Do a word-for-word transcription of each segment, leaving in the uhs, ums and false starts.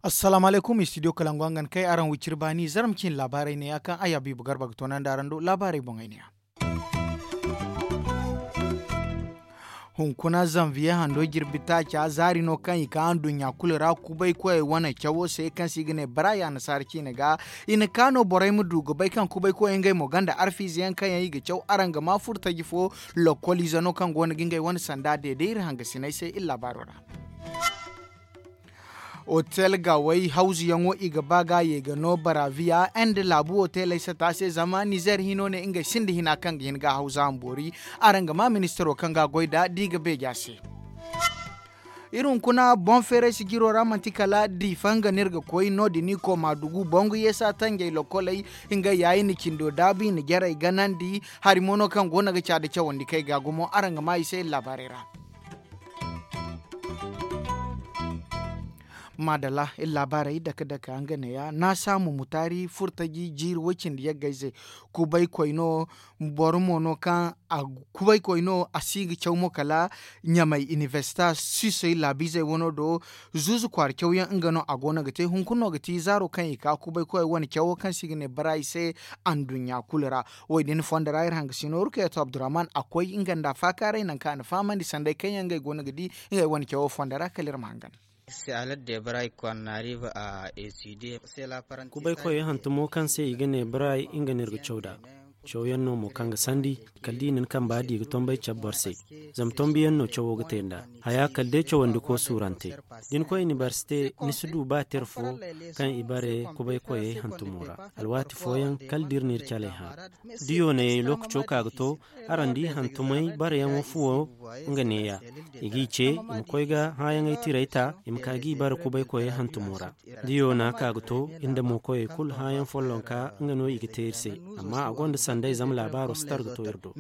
Assalaamu alaykum, istidiyo kalangu hangan kay araŋ wiciri baani zarma cine laabaarey neeya kaŋ ay habiibu garba ga toonandi araŋ do laabaarey boŋey neeya. Hunkuna zanviye hando jirbi taaca zaari no kaŋ i ka anduɲɲa kulu ra kubay koyey wane cawo se kaŋ se i ga ne baraay annasaara ciine ga. I na ka no borey ma du ga bay kaŋ kubay koyey ngey mo gonda arfiize yaŋ kaŋ yaŋ i ga caw araŋ ga ma furtaji fo. Lokkol ize no kaŋ go no ga ngey wane sanda deede iri hangasiney se iri laabaaro ra. Otel ga way hawzuyaŋo i ga ba ga ye ga no baraviya nda laabu oteley sata se zama nizer hino ne ngey sinda hina kaŋ ga hin ga hawza mboori. Araŋ ga ma ministaro kaŋ ga goy da da i ga beeja se. Iri hunkuna boŋ feeray sijiro ra manti kala diifa nga no iri ga koy no- din i koma dugu boŋgu yeesa tanjey lokkoley. Ngey ya i na cindo daabu i na jarey ganandi hari mo no kaŋ go no ga ca da cawandi kay ga gumo araŋ ga ma i se iri laabaarey ra. Maadalla iri laabaarey dake dake nga neeya naasaamu mutaari furtaji jiiri woy cindi yaggayze. Kubay koy no boro mo no kaŋ a kubay koy no a si ga caw mo kala ɲamay inibersita suisey laabiizey wano do. Zuuzu kwaara cawyaŋ nga no a go no ga te hunkuna no ga ti zaaro kaŋ i ka kubay koyey wane cawo kaŋ se i ga ne baraay se. Anduɲɲa kulu ra wo- din fondo ra iri hangasino rukayeeto abdurrahman a koy nga nda faakaaray nangu kaŋ a na fahamandi sanday kaŋ yaŋ ngey go no ga di ngey wane cawo fondo ra kala iri ma hangan. Kubay koyey hantumo kaŋ se i ga ne baraay nga no iri ga caw nd'a. Cawyaŋ no mo kaŋ ga sandi kala da i na ni kamba di ga tombay cabe boro se. Zama tombiyaŋ no cawo ga te nd'a haya kala day cawandiko suurante. Da ni koy inibersite ni si du ba tira fo kaŋ i bare kubay koyey hantumo ra. Alwaati fooyaŋ kala da iri n'iri caley hã. Da yoonayey lookaco ka ga to araŋ di hantumey bareyaŋo fuwo nga neeya. I g'i ce i ma koy ga hãayaŋey tirey ta i ma ka g'i bare kubay koyey hantumo ra. Da yoona ka ga to iri nda mookoyey kulu hãayaŋ follonka nga no i ga te iri se. Amma a gonda sanday zama laabaaro si tar ga to iri do.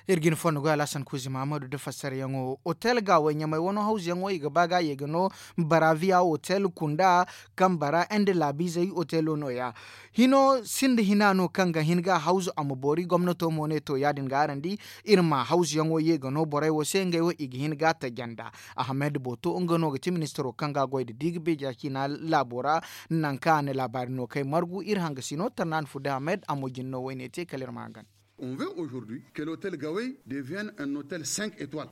Iri ga ni fondo goy alhasan kuuzi mahamadu nda fassarayaŋo otel gaawey ɲamey wano hawzuyaŋo i ga ba ga ye ga no baraviya otel kunda kaŋ bara nda laabiizey otelo no- ya. Hino sinda hina no kaŋ ga hin ga hawzu a ma boori gomnato mo ne to ya- din ga araŋ di. Iri ma hawzuyaŋo ye ga no borey wo se ngey wo i ga hin ga taja nda. Ahamed boto nga no ga ti ministaro kaŋ ga a goy nda di ga beeja ciina laabo ra. Nangu kaŋ a na laabaari no kay margu iri hangasino tarnaani fudda ahamed a mo jine no wayne te kala iri ma hangan.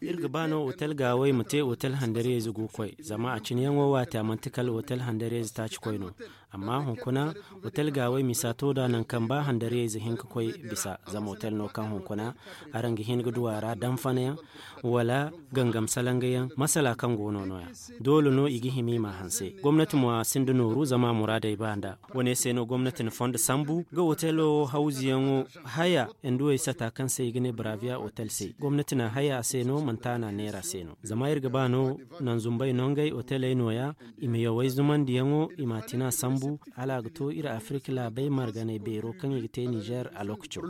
Iri ga ba no otel gaawey ma te otel handariyayze go koy zama a cine yaŋo waati a manti kala otel handariyayze taaci koy no. Amma hunkuna otel gaawey misa to nd'a nangu kaŋ ba handariyayze hin ga koy bisa zama otel no kaŋ hunkuna araŋ ga hin ga du a ra danfanayaŋ wala gangam salangayaŋ masala kaŋ go no no- ya. Doole no i ga hima i m'a hanse gomnati mo a sinda nooru zama muraadey ba nd'a. Wane se no gomnati na fondo sambu ga otelo hawzuyaŋo haya nduwey sata kaŋ se i ga ne baraviya otel se gomnati na haya a se no manti a na a neera se no zama iri ga ba no nanzumbey no ngey oteley no- ya. I ma yawey zumandiyaŋo i m'a tina sambu hala a ga to iri afirika laabey marganey beero kaŋ i ga te nizer a lookaco.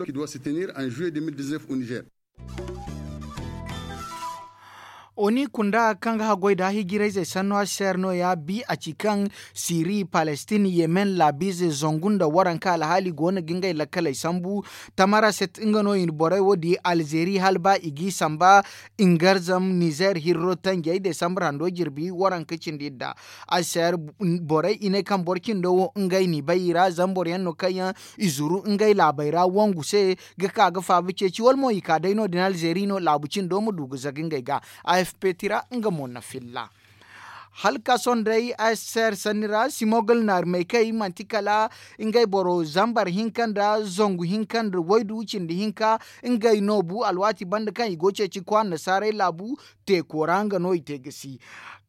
Oni kunda kaŋ ga haggoy da hijirayzey sanno aser no- ya bi a ci kaŋ siri palestine yemen laabiizey zangu nda waranka alhaali go no ga ngey lakkaley sambu. Tamaraset nga no i na borey wo di alzeeri hala ba i g'i samba. Ingarzam nizer hirro tanjey desambur hando jirbi waranka cindi idda. Aser borey i ne kaŋ boro cindo wo ngey n'i bay i ra zama boro yaŋ no kaŋ yaŋ i zuru ngey laabey ra wangu se ga ka ga faaba ceeci wala mo i ka day no- din alzeeri no laabu cindo ma du ga zaga ngey ga. Afp tira nga mo na filla. Hala ka sohõ day aser sanni ra simogol naari maykey manti kala ngey boro zambar hinka nda zangu hinka nda waydu cindi hinka. Ngey no bu alwaati banda kaŋ i go ceeci kwaara nasaarey laabu teeko ra nga no i te ga si.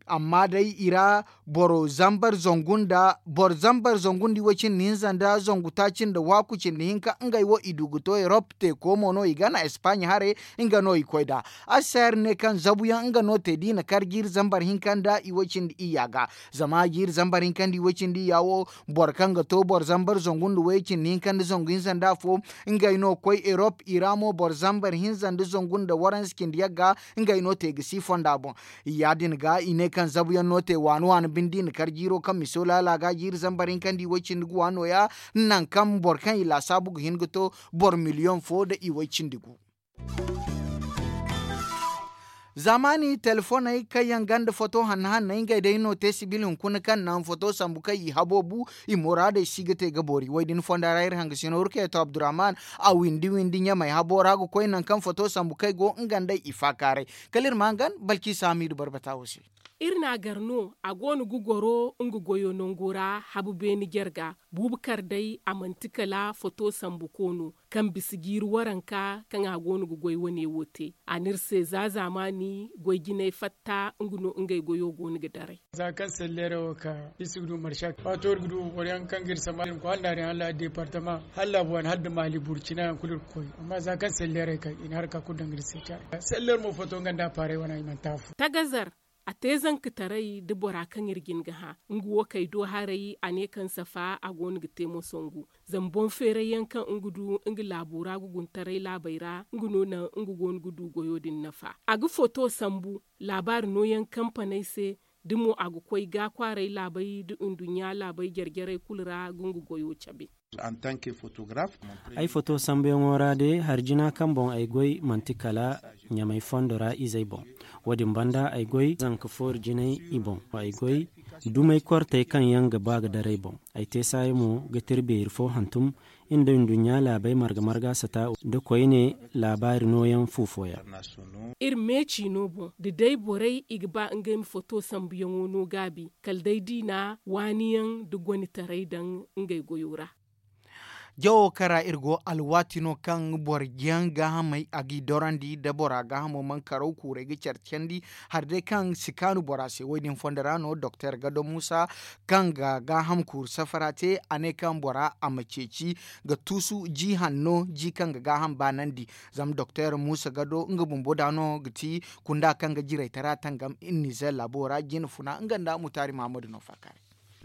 Amma day i ra boro zambar zangu nda boro zambar zangu nda iway cindi hinza nda zangu taaci nda waaku cindi hinka ngey wo i du ga to erop teeko mo no i gana espaaɲa haray. Nga no i koy nd'a. Aser ne kaŋ zabuyaŋ nga no te da i na kar jiiri zambar hinka nda iway cindi iyya ga. Zama jiiri zambar hinka nda iway cindi iyya wo boro kaŋ ga to boro zambar zangu nda way cindi hinka nda zangu hinza nda afo. Ngey no koy erop i ra mo boro zambar hinza nda zangu nda waransa cindi yagga. Ngey no te ga si fonda boŋ. Ya- din ga i ne Kaŋ zabu yaŋ no te waani waani binde i na kar jiiro kaŋ miso laala ga jiiri zambar hinka nda i way cindi gu waano ya, nangu kaŋ boro kaŋ i laasaabu ga hin ga to boro miliyoŋ fo nda i way cindi gu. Zaamaani telefoney kaŋ yaŋ gonda foto hanno hanney ngey day no te sibil hunkuna kaŋ naŋ foto sambu kaŋ i haboobu i muraadey si ga te ga boori wo- din fonda ra iri hangasino rukayatu abdurrahman a windi windi ɲamey habo ra ga koy nangu kaŋ foto sambu kaŋ ay go nga nd'ey i faakaaray. Kala iri ma hangan balki saamiidu barbata wo se. Iri n'a gar no a go no ga goro nga goyo nango ra habu beene jarga. Buubu kar day a manti kala foto sambu koono kaŋ bisa jiiri waranka kaŋ a go no ga goy wane wo te. A n'iri se za zaamaani goy jinay fatta nga no ngey goyo go no ga daray. Za kaŋ selleere wo ka iri si ga du marsa waato iri ga du boro yaŋ kaŋ ga iri sambu hala nda a din hala deepartama hala laabu waani hala nda maali burcina yaŋ kulu iri ga koy. Amma za kaŋ selleerey kay i na haraka kulu daŋ ga iri se caari selleer mo foto nga nda appaarey wane i manti afo. Tagazar a te zankataray nda bora kaŋ iri ga hin ga hã. Nga wo kay do haray a ne kaŋ safa a go no ga te moso ngu. Zama boŋ feeray yaŋ kaŋ nga du nga laabo ra guguntaray laabey ra nga no naŋ nga go no ga du goyo din nafa. A ga foto sambu laabaari nooyaŋ kampaney se. Da mo a ga koy ga kwaaray laabey nda nduɲɲa laabey jare jarey kulu ra ga nga goyo cabe. Ay foto sambuyaŋo ra day hari jina kaŋ boŋ ay goy manti kala ɲamay fondo ra izey boŋ. Wo- din banda ay goy zanka foori jinay i boŋ ay goy dumey kortey kaŋ yaŋ ga ba ga daray boŋ. Ay te saayi mo ga tira beeri fo hantum nda nduɲɲa laabey marga marga sata nda koyne laabaari nooyaŋ fu fooyaŋ. Iri meeci no boŋ da day borey i ga ba ngey ma foto sambuyaŋo no gaabi kala day da i na waaniyaŋ nda gonitaray daŋ ngey goyo ra. Jawo kaŋ ra iri go alwaati no kaŋ boro yaŋ gaahamey a g'i dorandi da bora gaahamo mana karaw kuurey ga care candi hari day kaŋ si kaanu bora se wo- din fondo ra no doktor gado muusa kaŋ ga gaaham kuuru safara te a ne kaŋ bora a ma ceeci ga tuusu ji hanno ji kaŋ ga gaaham baanandi. Zama doktor muusa gado nga bumbo da no ga ti kunda kaŋ ga jiraytara tangam iri nizer laabo ra jina funa nga nda mutaari mahammadu no faakaaray.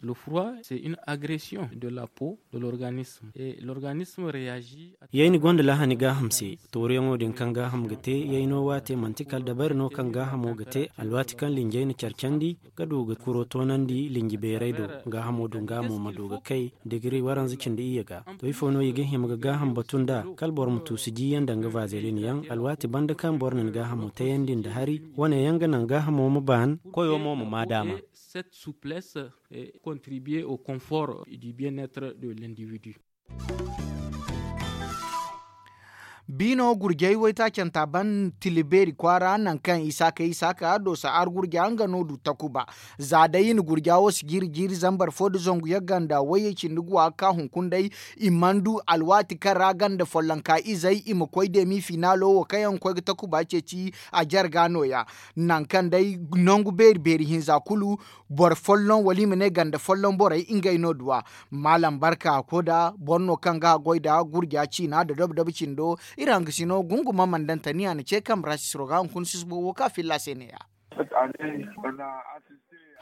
Le froid c'est une agression de la peau de l'organisme et l'organisme réagit. Yayni gonda lahani gaaham se. Tooruyaŋo din kaŋ gaaham ga te yayno waate manti kala dabari no kaŋ gaahamo ga te alwaati kaŋ linjay na care candi ga du ga kuro toonandi linji beeray do. Gaahamo din ga mo ma du ga kay digiri waranza cindi iyye ga. To ifo no i ga hima ga gaaham batu nd'a kala boro ma tuusu jiyaŋ danga vazelin yaŋ alwaati banda kaŋ boro na ni gaahamo tayandi nda hari wane yaŋ ga naŋ gaahamo ma baan. Koyo mo ma maa daama. Cette souplesse contribuer au confort du bien être de l'individu. Biino gurjey waytaacanta ban tilibeeri kwaara nangu kaŋ isaaka isaaka doosa argurja nga no du takuba. Za day i na gurja wo si jiiri jiiri zambar fo nda zangu yaŋ ganda wayey cindi guwa ga ka hunkuna day. I mana du alwaati kaŋ ra ganda follonka izey i ma koy deemi finaalo wo kaŋ yaŋ ga koy ga takuba ceeci a jarga nooya. Nangu kaŋ day nangu beeri beeri hinza kulu boro folloŋ wala i ma ne ganda folloŋ borey ngey no duwa. Maalam barka koda boro no kaŋ ga a goy nda gurja ciina nda dobo dobo cindo. Iri hangasino gunguma mandantani a na ce kambe ra sisiro ga hunkuna sisbo wo kaŋ a filla se neeya.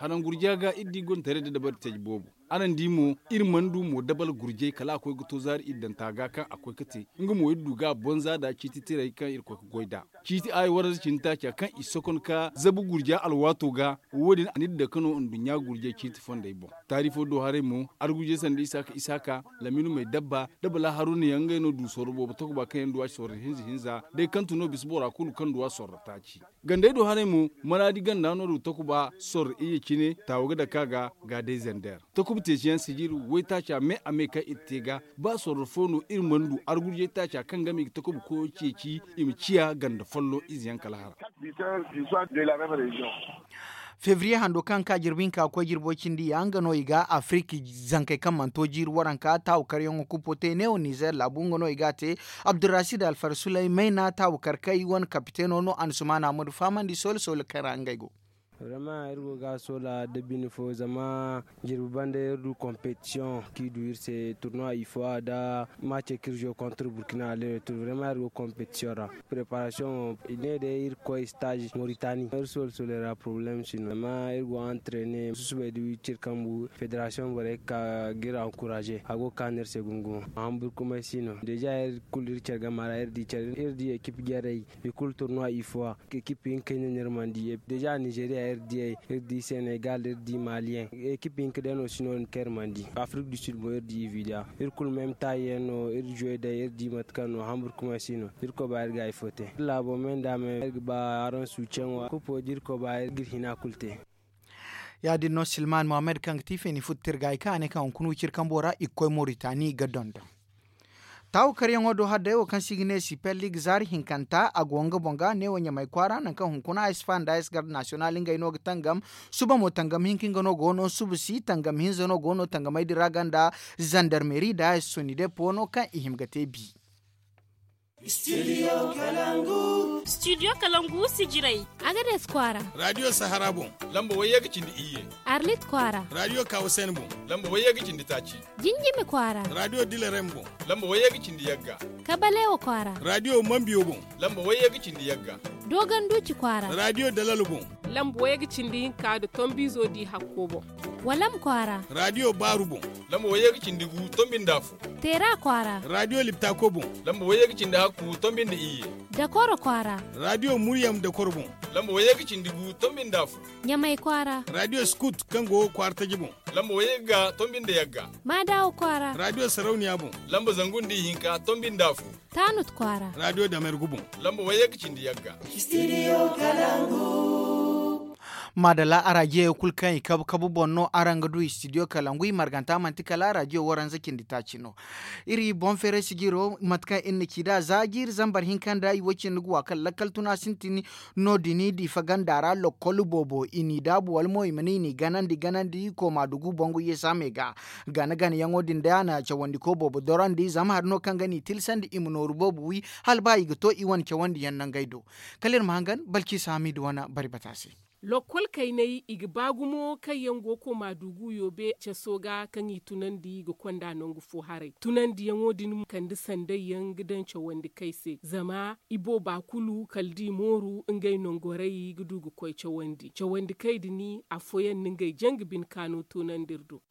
Hanaŋ gurja ga iri di gonda taray nda dabari taji boobo. Araŋ di mo iri mana du mo dabal gurjay kala a koy ga to zaari iddanta ga kaŋ a koy ga te. Nga mo iri du ga a bonza nda ciiti tirey kaŋ iri koy ga goy nd'a. Ciiti aayi waranza cindi taaca kaŋ i sokon ka zabu gurja alwaato ga. Wo- din a n'iri dake no nduɲɲa gurjay ciiti fondey boŋ. Taarifo do haray mo argurjay sanda isaaka isaaka, laminu may dabba, da bala haruna yaŋ ngey no du sorro boobo takuba kaŋ yaŋ du a sorro hinza hinza. Day kaŋ tun no bisa bora kulu kaŋ du a sorro taaci. Gandey do haray mo maraadi ganda no du takuba sorro iyye cine taawo ga dake a ga. Ga day zander takuba teesiyaŋ sijiri waytaaca me a me kaŋ iri te ga. Ba sorro fo no iri mana du argurjay taaca kaŋ game i ga takuba koyo ceeci i ma ciya ganda folloŋ ize yaŋ kala hara. Fevriye hando kaŋ ka jirbi hinka ga koy jirbo cindi ya nga no i ga afiriki zankey kaŋ mana to jiiri waranka taawu karyaŋo kuppo te neewo nizer laabu nga no i ga a te. Abdurrasid alfar sulay mayna taawu kar kay wane kapiteeno no a na sumaana ma du fahamandi soole soole kaŋ ra ngey go. Vraiment iri go ga a soola da bine fo zama jirbi banda iri du competition kaŋ i du iri se tournoi i fo a da match kaŋ iri jouer contre burkina aller retour vraiment iri go competition ra. Préparation wo i ne day iri ga koy stage moritani iri soola soola ra problème si no zama iri go entrainer susubay da wiciri kambu fédération borey ga ka ga iri encourager a go ga ka no iri se gumo gumo a hamburkumay si no déjà iri kulu iri care game ra iri di care iri di équipe jarey i kulu tournoi i fo a équipe hinka no no iri mana di déjà nigeria. Iri di seenegal iri di maliyaŋ, ekip hinka day no si no- din kaŋ iri mana di. Afrik du sud boŋ iri di ividiya. Iri kulu meme taayi yaŋ no iri juwey day iri di mate kaŋ no hambur kuma si no. Iri koy ba iri ga hari fo te iri laabo me nda me iri ga ba araŋ suucaŋo kupo da iri koy ba iri ga iri hina kulu te. Ya- din no silman muhammad kaŋ ga ti feeni futu tirgaayi kaŋ a ne kaŋ hunkuna wiciri kambo ra i ga koy moritani ga dondon. Taawu karyaŋo do hadday wo kaŋ se i ga ne sipel liig zaari hinkanta a go nga boŋ ga neewo ɲamay kwaara nangu kaŋ hunkuna a si fahan da a si garde nasiyonal ngey no ga tangam. Suba mo tangam hinka nga no go no suba si tangam hinza no go no tangamey din ra ganda zandarmeri da a si soni depo no kaŋ i hima ga te bi. Studio kalangu sijirey. Agades kwaara. Radio sahara boŋ. Lamba wayye ga cindi iyye. Arlit kwaara. Radio kawasen boŋ. Lamba wayye ga cindi taaci. Jinjimi kwaara. Radio dilerem boŋ. Lamba wayye ga cindi yagga. Kabalewa kwaara. Radio mambiyo boŋ. Lamba wayye ga cindi yagga. Dogon duci kwaara. Radio dalalo boŋ. Lamba wayye ga cindi hinka da tombizo di hakko boŋ. Walam kwaara. Radio baaru boŋ. Lamba wayye ga cindi gu tombi nda fu. Teera kwaara. Radio liptako boŋ. Lamba wayye ga cindi hakku tombi nda iyye. Dakoro kwaara. Radio muryam dakoro boŋ. Lamba wayye ga cindi gu tombi nda fu. Ɲamay kwaara. Radio scout kaŋ go kwaara taji boŋ. Lamba wayye ga tombi nda yagga. Maadawa kwaara. Radio sarauniya boŋ. Lamba zangu nda ihinka tombi nda fu. Taanut kwaara. Radio damergu boŋ. Lamba wayye ga cindi yagga. Maadalla arajiyo kulu kaŋ i kabu kabu boŋ no araŋ ga du studio kalangu i marganta manti kala arajiyo waranza cindi taaci no. Iri boŋ feeray sijiro mate kaŋ iri na ci nd'a za jiiri zambar hinka nda i wo cindi ga wa kaŋ lakkal tuna sintin. No- din diifa ganda ra lokkol boobo i n'i daabu wala mo i ma ne i n'i ganandi ganandi kooma dugu bangu yeesaamey ga. Gana gana yaŋo din day a na cawandiko boobo dorandi zama hari no kaŋ ga n'i tilsandi i ma nooru boobo wi hala ba i ga to i wane cawandiyaŋ nangey do. Kala iri ma hangan balciisa hamidu wane bari bata se. Lokkol kayney i ga ba gumo kaŋ yaŋ go kooma dugu yoobe caso ga kaŋ i tunandi ga konda nangu fo haray tunandiyaŋo din kande sandayyaŋ ga daŋ cawandi kay se zama i booba kulu kala da i mooru ngey nongoray ga du ga koy cawandi cawandi kay din afooyaŋ na ngey janga bine kaano toonandi iri do.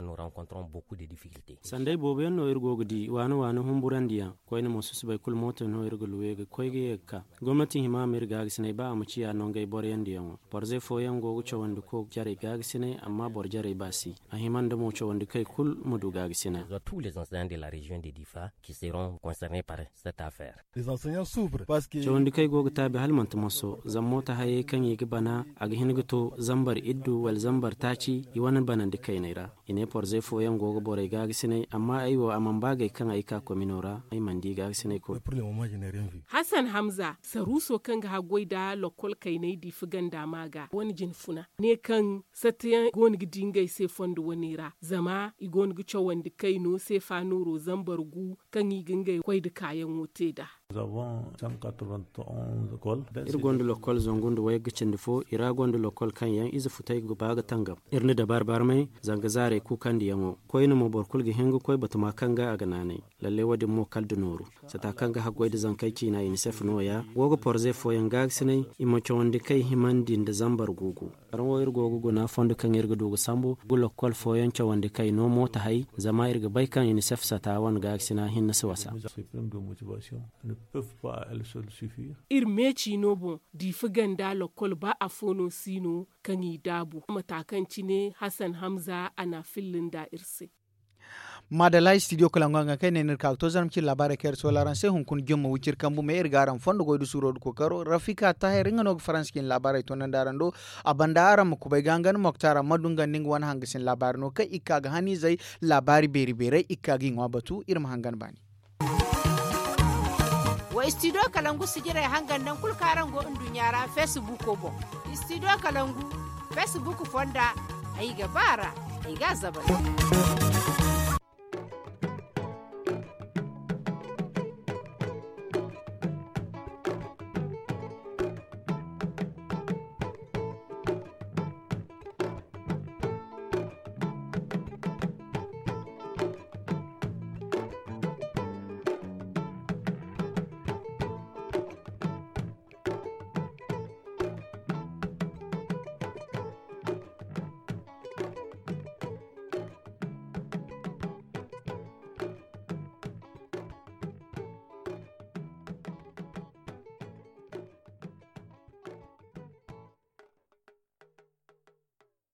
Sanday boobo yaŋ no iri go ga di waani waani humburandiyaŋ koyne mo susubay kulu mooto no iri ga luwe ga koy ga ye ga ka. Gomnati hima ma iri gaagasinay ba a ma ciya nongey boroyandiyaŋo. Borozey fooyaŋ go ga cawandi ko jarey gaagasinay amma boro jarey ba si. A hima nda mo cawandi kay kulu ma du gaagasinay. Cawandi kay go ga taabi hala manti moso zama mooto hayey kaŋ i ga bana a ga hin ga to zambar iddu wala zambar taaci i wane banandi kayney ra. I ne porozey fooyaŋ go ga borey gaagasinay amma ay wo a mana ba gay kaŋ ay ka komino ra ay mana di gaagasinay kulu. Hasan hamza saruuso kaŋ ga haggoy nda lokkol kayney diifa ganda ma ga wane jinfuna ne kaŋ satteyaŋ go no ga di ngey se fondo wane ra zama i go no ga cawandi kayno seefa nooro zambar gu kaŋ i ga ngey koy nda kaayaŋo te nd'a. Iri gonda lokkol zangu nda wayga cindi fo i ra gonda lokkol kaŋ yaŋ ize futay ga ba ga tangam. Iri na dabaari barmay zanga zaarey kuukandiyaŋo koyne mo boro kulu ga hin ga koy batuma kaŋ ga a ga naanay. Lallay wo- din mo kala nda nooru sata kaŋ ga haggoy nda zankey ciina unicef nooya go ga porze fooyaŋ gaagasinay i ma cawandi kay himandi nda zambar guugu. Araŋ wo iri go ga guna fondo kaŋ iri ga du ga sambu ga lokkol fooyaŋ cawandi kay no mooto hay zama iri ga bay kaŋ unicef sata wane gaakasina hinne si wasa. Iri meeci no boŋ diifa ganda lokkol ba afo no si no kaŋ i daabu mata kaŋ cine hasan hamza a na a filla nda iri se. Maadalla studio kalangu haŋ kaŋ ay ne no iri ka ga to zarma cine laabaarey kaŋ iri soola araŋ se hunkuna jumma wiciri kambu me iri ga araŋ fondo goy da suuro da kookaro rafika taahir nga no ga faransa cine laabaarey toonandi araŋ do. A banda araŋ ma kubay ga hangan moktar amma dungandi nga wane hangasin laabaari no kaŋ i ga ka ga haniizey laabaari beeri beerey i ga ka ga i ŋwa batu iri ma hangan baani. Wa studio kalangu sijirey hangan nangu kulu kaŋ araŋ go nduɲɲa ra feesibuuko boŋ. Studio kalangu feesibuuk fonda ay ga ba a ra ay ga a zabari.